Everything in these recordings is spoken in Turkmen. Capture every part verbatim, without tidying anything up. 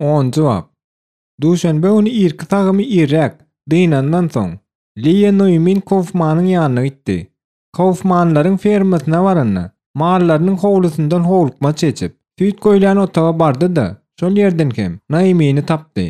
Onunjy bap. Duşenbe güni irki sagymy irräk dynandan soň, Liýa Noýmin Kaufmanyň ýanyna gitdi. Kaufmanlaryň fermasyna baranda, mallarynyň howlusyndan howlukmaç geçip, süýt goýulýan otaga bardy-da, şol ýerden hem Noýmini tapdy.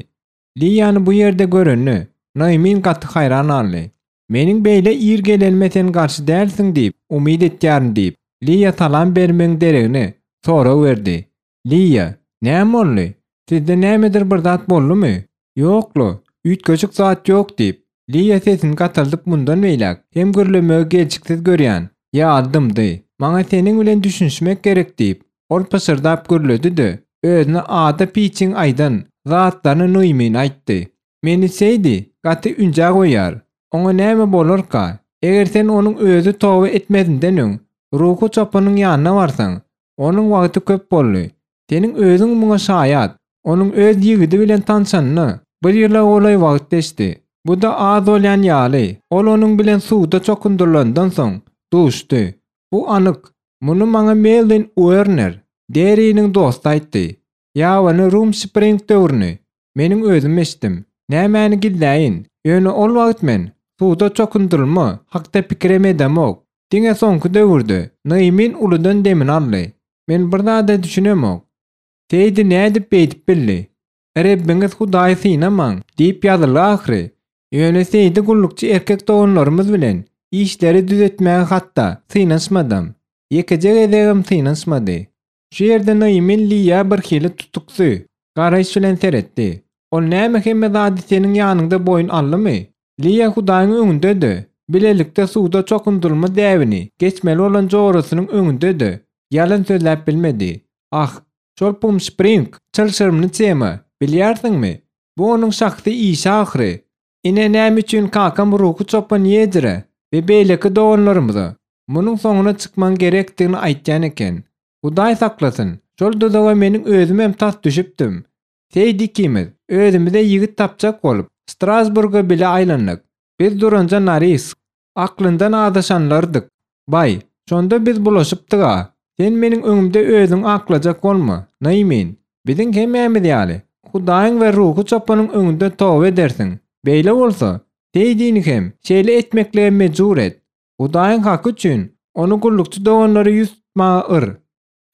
Liýany bu ýerde görende, Noýmin gaty haýran galdy. Meniň beýle ir gelenime sen garşy dälsiň diýip, umyt etýärin diýip, Liýa salam bermegiň deregine sorag berdi. Liýa, näme boldy? Sizde nämedir bir zat boldumy? Ýok-la, üýtgeşik zat ýok diýip, Liýa sesini gataldyp mundan beýläk hem gürlemegi gelşiksiz görýän ýaly dymdy. Maňa seniň bilen düşünişmek gerek diýip, ol pyşyrdap gürledi-de, özüne Ada Piçiň aýdan zatlaryny Noýmine aýtdy. Meni Seýdi gaty ünjä goýýar. Oňa näme bolarka? Eger sen onuň özi toba etmezinden öň ruhy çopanyň ýanyna barsaň, onuň wagty köp boldy. Seniň özüň muňa şaýat. Onuň öz ýigidi bilen tanşanyna bir ýyla golaý wagt geçdi. Bu-da az bolýan ýaly, ol onuň bilen suwda çokundyrylandan soň duşdy. Bu anyk. Muny maňa Melwin Uerner, Deriniň dosty aýtdy. Ýabany Rum Spring döwrüni meniň özüm eşitdim. Nämäni gizläýin, ýöne ol wagt men suwda çokundyrylma hakda pikirem edemok. Diňe soňky döwürde Noýmin uludan demini aldy. Men bir zada düşünemok. Seýdi nädip beýdip bildi? Rebbiňiz Hudaýy synamaň diýip ýazylgy ahyry. Ýöne Seýdi gullukçy erkek doganlarymyz bilen işleri düzetmäge hatda synanyşmadam. Ýekeje gezegem synanyşmady. Şu ýerde Noýmin Liýa bir hili tutuksy garaýyş bilen seretdi. Ol näme hemme zady seniň ýanyňda boýun aldymy? Liýa Hudaýyň öňünde-de, bilelikde suwda çokundyrylma däbini geçmeli bolan jorasynyň öňünde-de ýalan sözläp bilmedi. Ah, şol Pumspring çylşyrymly tema, bilýärsiňmi? Bu onuň şahsy işi ahyry. Ine näme üçin kakam ruhy çopan Ýedire we beýleki doganlarymyza munuň soňuna çykmagyň gerekdigini aýtýan eken. Hudaý saklasyn, şol duzaga meniň özümem tas düşüpdim. Seýdi ikimiz özümize ýigit tapjak bolup, Strasburga bile aýlandyk. Biz duranja Naris, aklyndan azaşanlardyk. Baý, şonda biz bulaşypdyk-a. Sen meniň öňümde özüňi aklajak bolma, Noýmin. Biziň hemmämiz ýaly, Hudaýyň we ruhy çopanyň öňünde toba edersiň. Beýle bolsa, Seýdini hem şeýle etmeklige mejbur et. Hudaýyň haky üçin ony gullukçy doganlara ýüz tutmaga yr.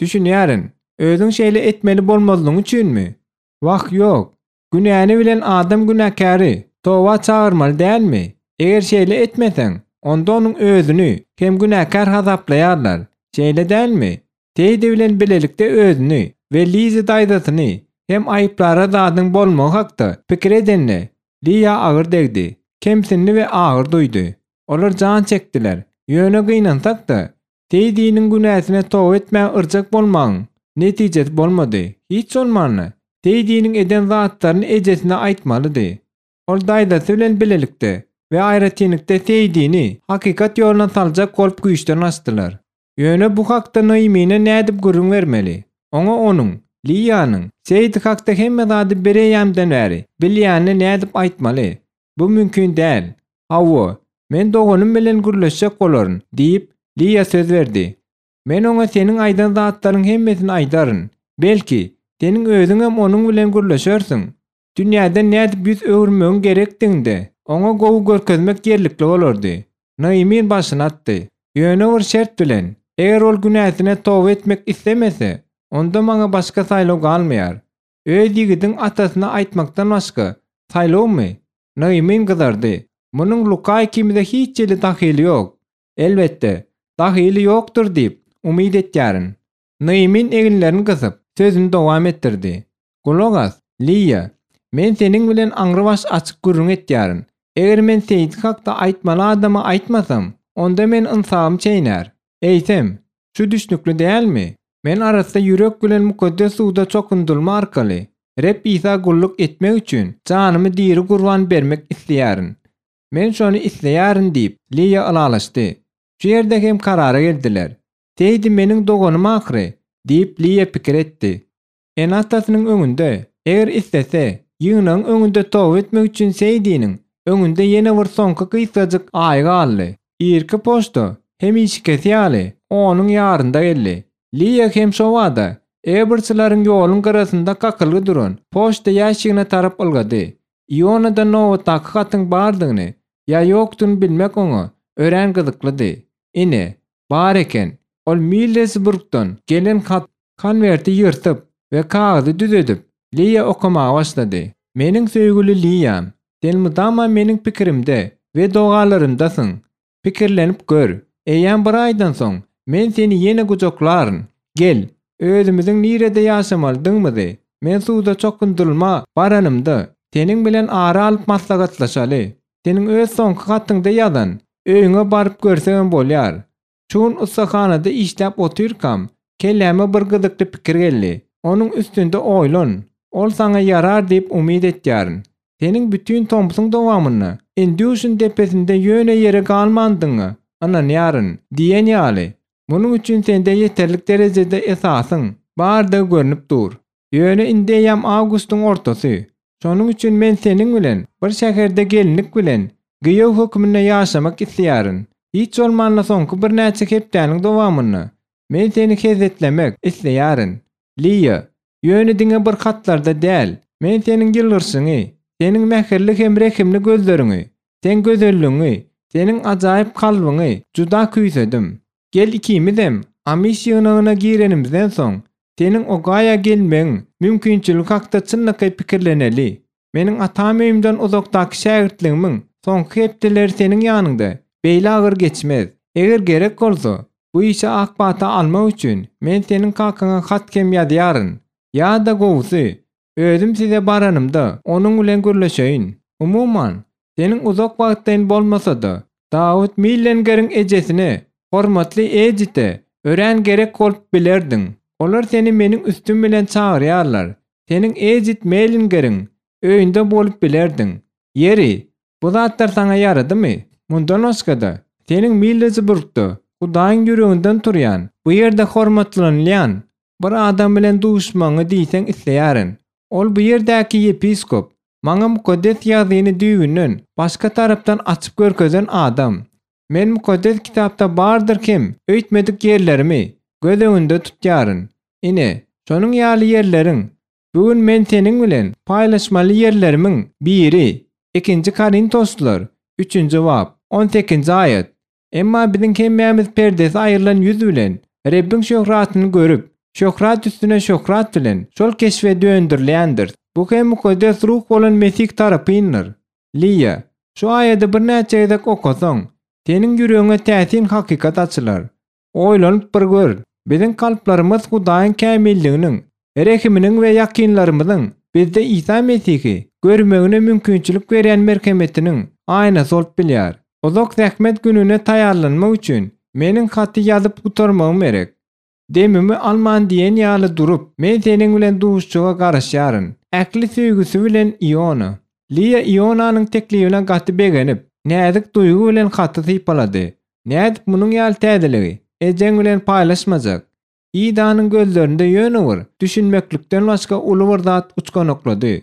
Düşünýärin, özüň şeýle etmeli bolmazlygyň üçinmi? Wah, ýok. Günäni bilen adam günäkäri toba çagyrmaly dälmi? Eger şeýle etmeseň, onda onuň özüni hem günäkär hasaplaýarlar. Şeýle dälmi? Seýdi bilen bilelikde özüni we Lizi daýzasyny hem aýyplara zadyň bolmagy hakda pikir edende, Liýa agyr degdi. Kemsindi we agyr duýdy. Olar jan çekdiler. Ýöne gynansak-da, Seýdiniň günäsine toba etmäge yrjak bolmagyň netijesi bolmady. Hiç bolmanda, Seýdiniň eden zatlaryny ejesine aýtmalydy. Ol daýzasy bilen bilelikde we aýratynlykda Seýdini hakykat ýoluna saljak bolup güýçden gaçdylar. Ýöne bu hakda Noýmine nädip gürrüň bermeli? Oňa onuň, Liýanyň, Seýdi hakda hemme zady bireýýämden bäri bilýänini nädip aýtmaly? Bu mümkin däl. Hawa, men doganym bilen gürleşjek bolaryn, diýip, Liýa söz berdi. Men oňa seniň aýdan zatlaryň hemmesini aýdaryn. Belki, seniň özüňem onuň bilen gürleşersiň. Dünýäden nädip ýüz öwürmegiň gerekdigini-de oňa gowy görkezmek ýerlikli bolardy. Noýmin başyny atdy. Ýöne bir şert bilen, eger ol günäsine toba etmek islemese, onda maňa başga saýlaw galmaýar. Öz ýigidiň atasyna aýtmakdan başga saýlawmy? Noýmin gyzardy. Munuň Luka ikimize hiç hili dahyly ýok. Elbetde, dahyly ýokdur diýip, umyt etýärin. Noýmin eginlerini gysyp, sözüni dowam etdirdi. Gulak as, Liýa, men seniň bilen aňrybaş açyk gürrüň etýärin. Eger men Seýdi hakda aýtmaly adama aýtmasam, onda men ynsabym çeýnär. Eýsem, şu düşnükli dälmi? Men arassa ýürek bilen mukaddes suwda çokundyrylma arkaly Reb Isa gulluk etmek üçin janymy diri gurban bermek isleýärin. Men şony isleýärin diýip, Liýa ylalaşdy. Şu ýerde hem karara geldiler. Seýdi meniň doganym ahyry, diýip Liýa pikir etdi. Ene-atasynyň öňünde, eger islese, ýygnagyň öňünde toba etmek üçin Seýdiniň öňünde ýene bir soňky gysgajyk aý galdy. Irki poçta hemişekisi ýaly onuň ýarynda geldi. Liýa hem şobada Eberçileriň ýoluň gyrasynda kakylgy duran poçta ýaşygyna tarap ylgady. Ionada nobatdaky hatyň bardygyny ýa ýokdugyny bilmek oňa örän gyzyklydy. Ine, bar eken. Ol Millesburgdan gelen hat konwerti ýyrtyp we kagyzy düzedip, Liýa okamaga başlady. Meniň söýgüli Liýam, sen mydama meniň pikirimde we dogalarymdasyň. Pikirlenip gör, eýýäm bir aýdan soň men seni ýene gujaklaryn. Gel, özümiziň nirede ýaşamalydygymyzy, men suwda çokundyrylma baranymda seniň bilen ara alyp maslahatlaşaly. Seniň öz soňky hatyňda ýazan öýüňe baryp görsegem bolýar. Çun ussahanada işläp otyrkam, kelläme bir gyzykly pikir geldi. Onuň üstünde oýlan. Ol saňa ýarar diýip umyt etýärin. Seniň bütün tomsuň dowamynda Induşun depesinde ýöne ýere galmandyňa ynanýaryn diýen ýaly. Munuň üçin sende ýeterlik derejede esasyň bardygy görnüp dur. Ýöne indi eýýäm awgustyň ortasy. Şonuň üçin men seniň bilen bir şäherde gelinlik bilen giýew hökmünde ýaşamak isleýärin. Hiç bolmanda soňky birnäçe hepdäniň dowamynda men seni hezetlemek isleýärin. Liýa, ýöne diňe bir hatlarda däl, men seniň ýylgyrşyňy, seniň mähirli hem rehimli gözleriňi, sen gözelligiňi, seniň ajaýyp kalbyňy juda küýsedim. Gel ikimizem Amiş ýygnagyna girenimizden soň seniň Ogaýa gelmegiň mümkinçiligi hakda çynlakaý pikirleneli. Meniň atam öýümden uzakdaky şägirtligimiň soňky hepdeleri seniň ýanyňda beýle agyr geçmez. Eger gerek bolsa, bu işe ak pata almak üçin men seniň kakaňa hat hem ýazýaryn. Ýa-da gowusy, özüm size baranymda onuň bilen gürleşeýin. Umuman, seniň uzak wagtlaýyn bolmasa-da, Dawut Millengeriň ejesine, hormatly Edite örän gerek bolup bilerdiň. Olar seni meniň üstüm bilen çagyrýarlar. Seniň Edit Mellingeriň öýünde bolup bilerdiň. Ýeri, bu zatlar saňa ýaradymy? Mundan başga-da, seniň Millesburgda Hudaýyň ýüreginden turýan, bu ýerde hormatlanylýan bir adam bilen duşmagyňy diýseň isleýärin. Ol bu ýerdäki ýepiskop, maňa mukaddes ýazyny düýbünden başga tarapdan açyp görkezen adam. Men mukaddes kitapda bardyr kim öýtmedik ýerlerimi göz öňünde tutýaryn. Ine, şonuň ýaly ýerleriň bu gün men seniň bilen paýlaşmaly ýerlerimiň biri ikinji Korintoslar üçünji bap on sekizinji aýat. Emma biziň hemmämiz perdesi aýrylan ýüz bilen Rebbiň şöhratyny görüp, şöhrat üstüne şöhrat bilen şol keşbe döndürilýändir. Bu hem mukaddes ruh bolan Mesih tarapyndyr. Liýa, şu aýady birnäçe gezek okasaň, seniň ýüregiňe täsin hakykat açylar. Oýlanyp bir gör, biziň kalplarymyz Hudaýyň kämilliginiň, rehiminiň we ýakynlarymyzyň bizde Isa Mesihi görmegine mümkinçilik berýän merhemetiniň aýnasy bolup bilýär. Uzak zähmet gününe taýýarlanmak üçin meniň haty ýazyp gutarmagym gerek. Demimi alman diýen ýaly durup, men seniň bilen duşuşyga garaşýaryn. Ähli söýgüsi bilen Iona. Liýa Ionanyň teklibine gaty begenip, näzik duýgy bilen haty sypalady. Nädip munuň ýaly täzeligi ejeň bilen paýlaşmajak? Idanyň gözlerinde ýöne bir düşünmeklikden başga uly bir zat uçganaklady.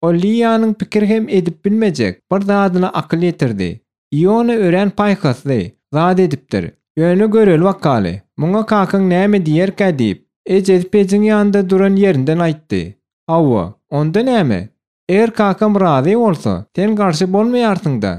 Ol Liýanyň pikir hem edip bilmejek bir zadyna akyl ýetirdi. Iona örän paýhasly zat edipdir. Ýöne göreli bakaly, muňa kakaň näme diýerkä diýip, ejesi pejiň ýanynda duran ýerinden aýtdy. Hawa, onda näme? Eger kakam razy bolsa, sen garşy bolmaýarsyň-da.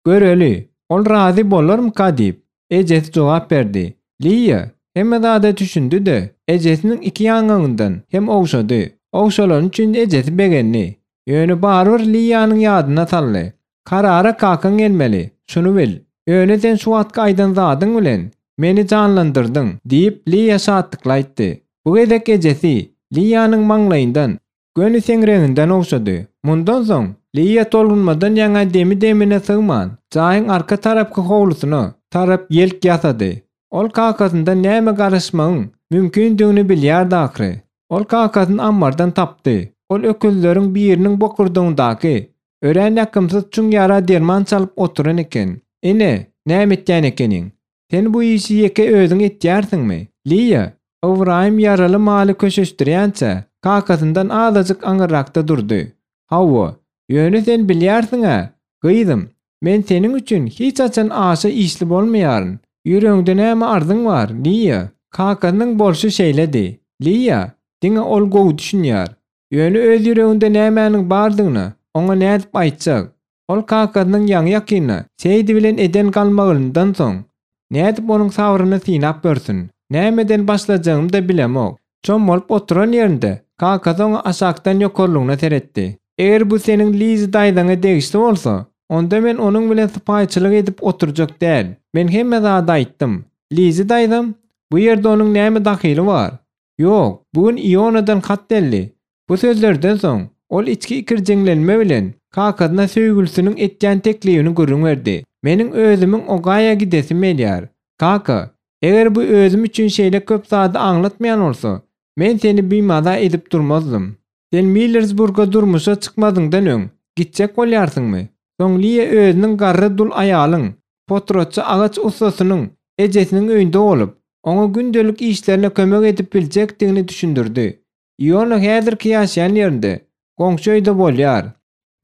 Göreli, ol razy bolarmyka diýip, ejesi jogap berdi. Liýa hemme zada düşündi-de, ejesiniň iki ýaňagyndan hem ogşady. Ogşalany üçin ejesi begendi. Ýöne barybir Liýanyň ýadyna saldy. Karara kakaň gelmeli, şuny bil. Ýöne sen şu wagtky aýdan zadyň bilen meni janlandyrdyň diýip Liýa şatlykly aýtdy. Bu gezek ejesi Liýanyň maňlaýyndan göni seňreginden ogşady. Mundan soň Liýa tolgunmadan ýaňa demi-demine sygman, jaýyň arka tarapky howlusyna tarap ýelk ýasady. Ol kakasyndan näme garaşmagyň mümkindigini bilýärdi ahyry. Ol kakasyny ammardan tapdy. Ol öküzleriň biriniň bokurdagyndaky örän ýakymsyz çuň ýara derman çalyp oturan eken. Ine, näme etýän ekeniň? Sen bu işi ýeke özüň etýärsiňmi? Liýa, Ybraýym ýaraly maly köşeşdirýänçä, kakasyndan azajyk aňyrrakda durdy. Hawa, ýöne sen bilýärsiň-ä, gyzym, men seniň üçin hiç haçan aşa işli bolmaýaryn. Ýüregiňde näme arzyň bar, Liýa? Kakasynyň bolşy şeýledi. Liýa, diňe ol gowy düşünýär. Ýöne öz ýüreginde nämäniň bardygyny oňa nädip aýtjak? Ol kakasynyň ýaňy ýakynda Seýdi bilen eden galmagyndan soň nädip onuň sabryny synap görsün? Nämeden başlajagymy-da bilemok. Çommalyp oturan ýerinde kakasy oňa aşakdan ýokarlygyna seretdi. Eger bu seniň Lizi daýzaňa degişli bolsa, onda men onuň bilen sypaýyçylyk edip oturjak däl. Men hemme zady aýtdym. Lizi daýzam, bu ýerde onuň näme dahyly bar? Ýok, bu gün Ionadan hat geldi. Bu sözlerden soň ol içki ikirjiňlenme bilen kakasyna söýgülisiniň etýän teklibini gürrüň berdi. Meniň özümiň Ogaýa gidesim gelýär. Kaka, eger bu özüm üçin şeýle köp zady aňlatmaýan bolsa, men seni bimaza edip durmazdym. Sen Millersburga durmuşa çykmazyňdan öň gitjek bolýarsyňmy? Soň Liýa özüniň garry dul aýalyň, potratçy agaç ussasynyň ejesiniň öýünde bolup, oňa gündelik işlerine kömek edip biljekdigini düşündirdi. Iona häzirki ýaşaýan ýerinde, goňşy öýde bolýar.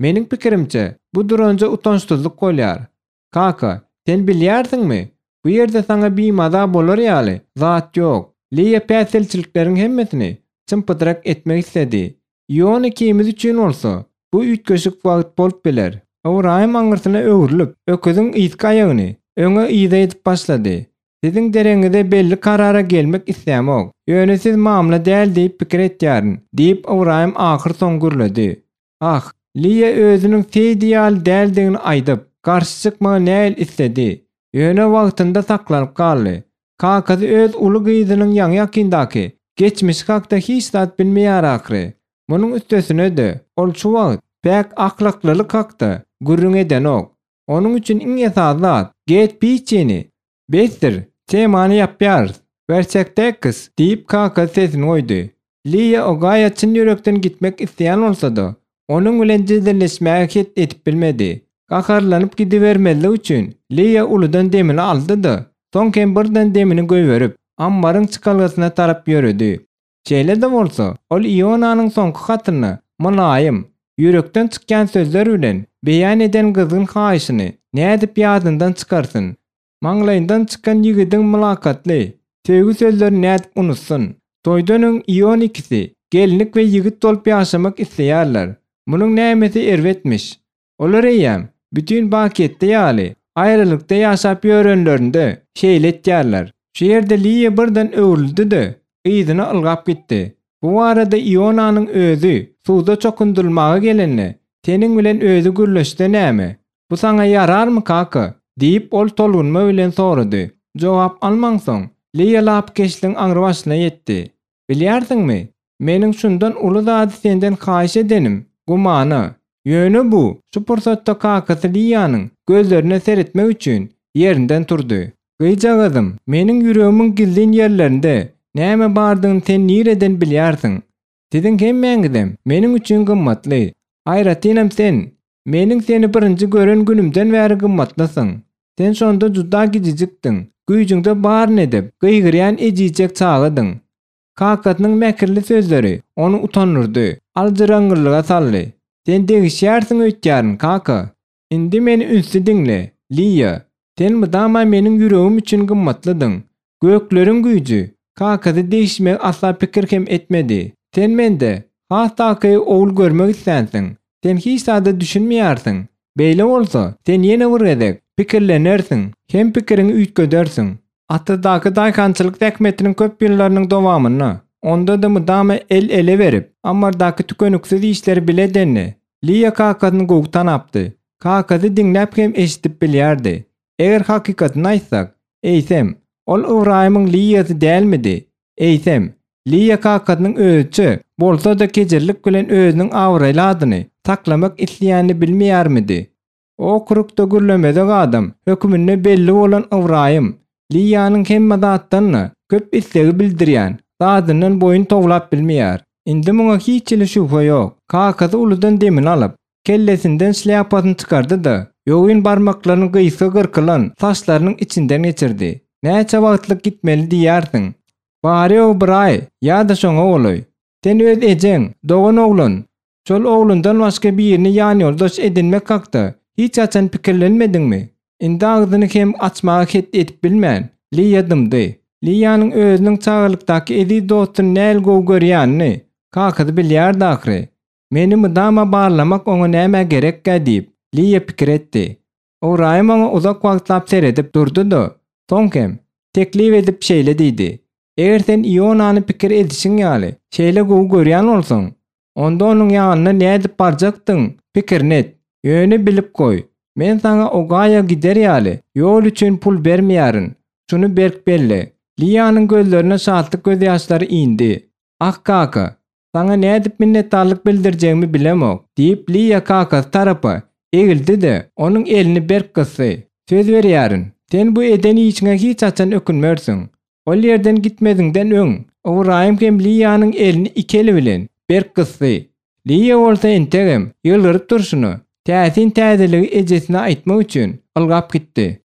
Meniň pikirimçe, bu duranja utançsyzlyk bolýar. Kaka, sen bilýärsiňmi? Bu ýerde saňa bimaza bolar ýaly zat ýok. Liýa päsgelçilikleriň hemmesini çym-pytrak etmek isledi. Iona ikimiz üçin bolsa, bu üýtgeşik wagt bolup biler. Ybraýym aňyrsyna öwrülip, öküziň yzky aýagyny öňe-yza edip başlady. Siziň deregiňize belli karara gelmek islämok. Ýöne siz mamla däl diýip pikir etýärin, diýip, Ybraýym ahyrsoňy gürledi. Ah, Liýa özüniň Seýdi ýaly däldigini aýdyp, garşy çykmagy nähili isledi. Ýöne wagtynda saklanyp galdy. Kakasy öz uly gyzynyň ýaňy-ýakyndaky geçmişi hakda hiç zat bilmeýär ahyry. Munuň üstesine-de, ol şu wagt päk ahlaklylyk hakda gürrüň edenok. Onuň üçin iň esasy zat, Get piçini! Besdir, temany ýapýarys. Werçekdekis, diýip, kakasy sesini goýdy. Liýa Ogaýa çyn ýürekden gitmek isleýän bolsa-da, onuň bilen jedelleşmäge het edip bilmedi. Gaharlanyp gidibermezlik üçin Liýa uludan demini aldy-da, soň hem birden demini goýberip, ammaryň çykalgasyna tarap ýöredi. Şeýle-de bolsa, ol Ionanyň soňky hatynda mylaýym, ýürekden çykýan sözler bilen beýan eden gyzgyn haýyşyny nädip ýadyndan çykarsyn? Maňlaýyndan çykan ýigidiň mylakatly, söýgi sözlerini nädip unutsyn? Toýdan öň Ion ikisi gelinlik we ýigit bolup ýaşamak isleýärler. Munuň nämesi erbetmiş? Olar eýýäm, bütin bakyýetde ýaly, aýralykda ýaşap ýörenlerinde şeýle etýärler. Şu ýerde Liýa birden öwrüldi-de, yzyna ylgap gitdi. Bu barada Ionanyň özi suwda çokundyrylmaga gelende, seniň bilen özi gürleşse näme? Bu saňa ýararmy, kaka? diýip, ol tolgunma bilen sorady. Jogap almansoň, Liýa lapykeçligiň aňrybaşyna ýetdi. Bilýärsiňmi, meniň şundan uly zady senden haýyş edenim, gumana. Ýöne bu, şu pursatda kakasy Liýanyň gözlerine seretmek üçin ýerinden turdy. Gyzjagazym, meniň ýüregimiň gizlin ýerlerinde näme bardygyny sen nireden bilýärsiň? Siziň hemmäňizem meniň üçin gymmatly. Aýratynam sen. Meniň seni birinji gören günümden bäri gymmatlysyň. Sen şonda juda gijijikdiň, güýjüňde baryny edip, gygyrýan ejizjek çagadyň. Kakasynyň mähirli sözleri ony utandyrdy, aljyraňňyrlyga saldy. Sen degişýärsiň öýtýärin, kaka. Indi meni ünsli diňle, Liýa. Sen mydama meniň ýüregim üçin gymmatlydyň. Gökleriň güýji, kakasy degişmegi asla pikir hem etmedi. Sen mende, has takygy ogul görmek islänsiň. Sen hiç zada düşünmeýärsiň. Beýle bolsa, sen ýene bir gezek pikirlenersiň hem pikiriňi üýtgedersiň. Atyzdaky daýhançylyk zähmetiniň köp ýyllarynyň dowamynda, onda-da mydama el-ele berip, ammardaky tükeniksiz işleri bile edende, Liýa kakasyny gowy tanapdy. Kakasy diňläp hem eşidip bilýärdi. Eger hakykatyny aýtsak, eýsem, ol Ybraýymyň Liýasy dälmidi? Eýsem, Liýa kakasynyň özüçe bolsa-da kejirlik bilen özüniň abraýly adyny saklamak isleýänini bilmeýärmidi? Okrugda gürlemezek adam höküminde belli bolan Ybraýym, Liýanyň hemme zatdan-da köp islegi bildirýän zadyndan boýun towlap bilmeýär. Indi muňa hiç hili şübhe ýok. Kakasy uludan demini alyp, kellesinden şlýapasyny çykardy-da, ýogyn barmaklaryny gysga gyrkylan saçlarynyň içinden geçirdi. Näçe wagtlyk gitmeli diýýärsiň? Bary-ýogy bir aý ýa-da şoňa golaý. Sen öz ejeň, dogan oglan, şol oglundan başga birini ýanýoldaş edinmek hakda hiç haçan pikirlenmediňmi? Indi agzyny hem açmaga het edip bilmän, Liýa dymdy. Liýanyň özüniň çagalykdaky eziz dostuny nähili gowy görýänini kakasy bilýärdi ahyry. Meni mydama barlamak oňa nämä gerekkä diýip, Liýa pikir etdi. Ybraýym oňa uzak wagtlap seredip durdy-da, soň hem, teklip edip şeýle diýdi, Eger sen Ionany pikir edişiň ýaly, şeýle gowy görýän bolsaň, onda onuň ýanyna nädip barjakdygyň pikirini et. Ýöne bilip goý, men saňa Ogaýa gider ýaly, ýol üçin pul bermeýärin. Şuny berk belle. Liýanyň gözlerine şatlyk gözýaşlary indi. Ah, kaka, saňa nädip minnetdarlyk bildirjegimi bilemok, diýip, Liýa kakasy tarapa egildi-de, onuň elini berk gysdy. Söz berýärin, sen bu eden işiňe hiç haçan ökünmersiň. Ol ýerden gitmeziňden öň, Ybraýym hem Liýanyň elini iki eli bilen berk gysdy. Liýa bolsa entegem ýylgyryp durşuna, täsin täzeligi ejesine aýtmak üçin ylgap gitdi.